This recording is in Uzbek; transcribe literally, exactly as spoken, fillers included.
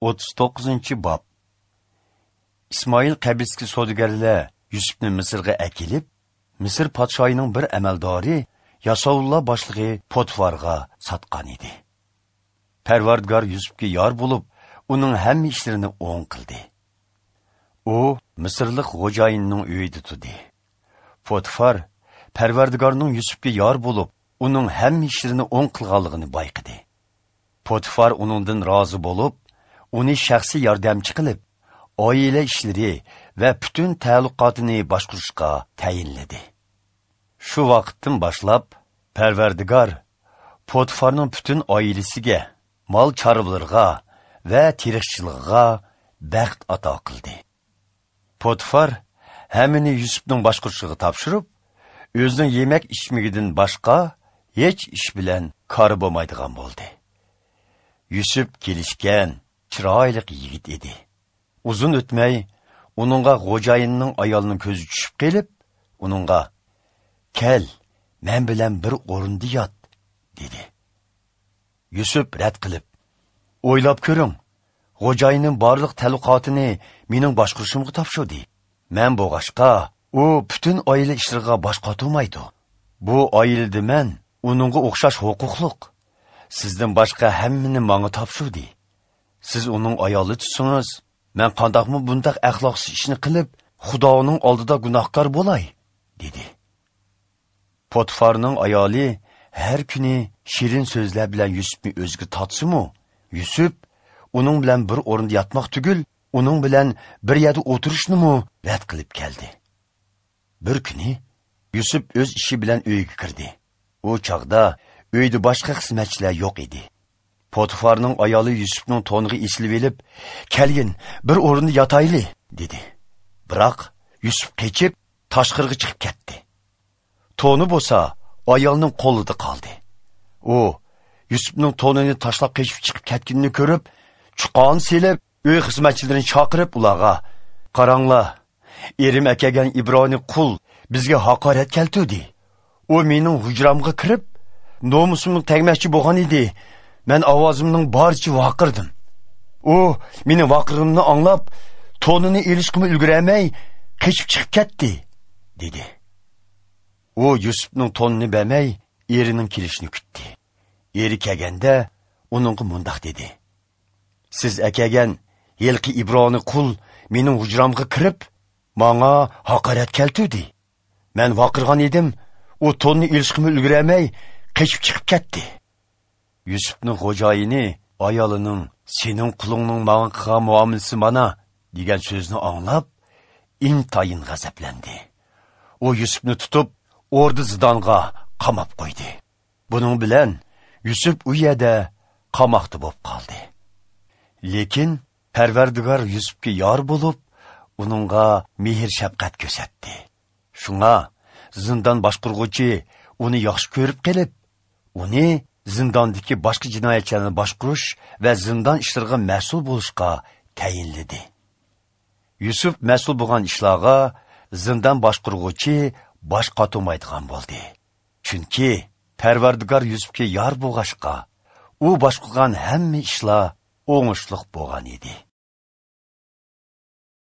o'ttiz to'qqizinchi bob. Ismoil qabilasi savdogarlar Yusufni Misrga akilib, Misr podshoyining bir amaldori Yasovulloh boshlig'i Potifarga sotgan edi. Parvardigor Yusufga yor bo'lib, uning hamma ishlarini o'ng qildi. U Misrlik xo'jayinining uyida turdi. Potifar Parvardigorning Yusufga yor bo'lib, uning hamma ishlarini o'ng qilganligini bayqidi. Potifar uningdan rozi bo'lib, uni shaxsiy yordamchi qilib, oila ishlari va butun ta'alluqotini boshqarishga tayinladi. Shu vaqtdan boshlab Parvardigor Potifarning butun oilasiga, mol chorvalariga va tirikchiligiga baxt ato qildi. Potifar hammani Yusufning boshqarishiga topshirib, o'zining yemak ichmagidan boshqa hech ish bilan kori bo'lmaydigan bo'ldi. Yusuf kelishgan, chiroyli yigit edi. Uzun o'tmay, uningga xo'jayinining ayolining ko'zi tushib kelib, uningga: "Kel, men bilan bir o'rinda yot", dedi. Yusuf rad qilib: "O'ylab ko'ring, xo'jayinim barliq ta'alluqotini mening boshqarishimga topshirdi. Men bo'g'ashqa, u butun oila ishlariga bosh qotirmaydi. Bu oilada men uningga o'xshash huquqliq. Sizdan boshqa hammani menga topshirdi. Siz uning ayoli tutsangiz, men qandaqmi bundaq axloqsiz ishni qilib, Xudoning oldida gunohkor bo'lay", dedi. Potifarning ayoli har kuni shirin so'zlar bilan Yusufni o'ziga tortsa-mu, Yusuf uning bilan bir o'rinda yotmoq tugul, uning bilan bir yerda o'tirishni-mu rad qilib keldi. Bir kuni Yusuf o'z ishi bilan uyga kirdi. U chog'da uyda boshqa xizmatchilar yo'q edi. Potifarning ayoli Yusufning to'niga esilib elib, "Kelgin, bir o'rinda yotayli", dedi. Biroq Yusuf qechib tashqariga chiqib ketdi. To'ni bo'lsa ayolning qo'lida qoldi. U Yusufning to'nini tashlab qechib chiqib ketganini ko'rib, chuqon selib, uy xizmatchilarini chaqirib ularga: "Qaranglar, erim akagan Ibroniy qul bizga haqorat keltirdi. U mening hujramga kirib, nomusimni tegmoqchi bo'lgan edi. Men ovozimning boricha vaqirdim. U mening vaqirg'imni anglab, to'nini elishqimi ulguramay, qechib chiqib ketdi", dedi. U Yusufning to'nini bermay, erining kelishini kutdi. Eri kelganda uningga mundoq dedi: "Siz akagan yilqi Ibroniy qul mening hujramga kirib, menga haqorat keltirdi. Men vaqirgan edim, u to'nni elishqimi ulguramay, qechib chiqib ketdi." Yusufning xo'jayini ayolining "Sening qulingning menga qilgan muomalasi mana" degan so'zni anglab, intayin g'azablandi. U Yusufni tutib, o'rda zindonga qamab qo'ydi. Buning bilan Yusuf u yerda qamoqda bo'lib qoldi. Lekin Parvardigor Yusufga yor bo'lib, uningga mehr shafqat ko'rsatdi. Shunga zindon boshqaruvchi uni yaxshi ko'rib qilib, uni zindondagi boshqa jinoyatchilarni boshqarish va zindon ishlariga mas'ul bo'lishga tayinladi. Yusuf mas'ul bo'lgan ishlarga zindon boshqaruvchi bosh qotirmaydigan bo'ldi. Chunki Parvardigor Yusufga yor bo'lg'ashqa, u boshqargan hamma ishlar o'ngishliq bo'lgan edi.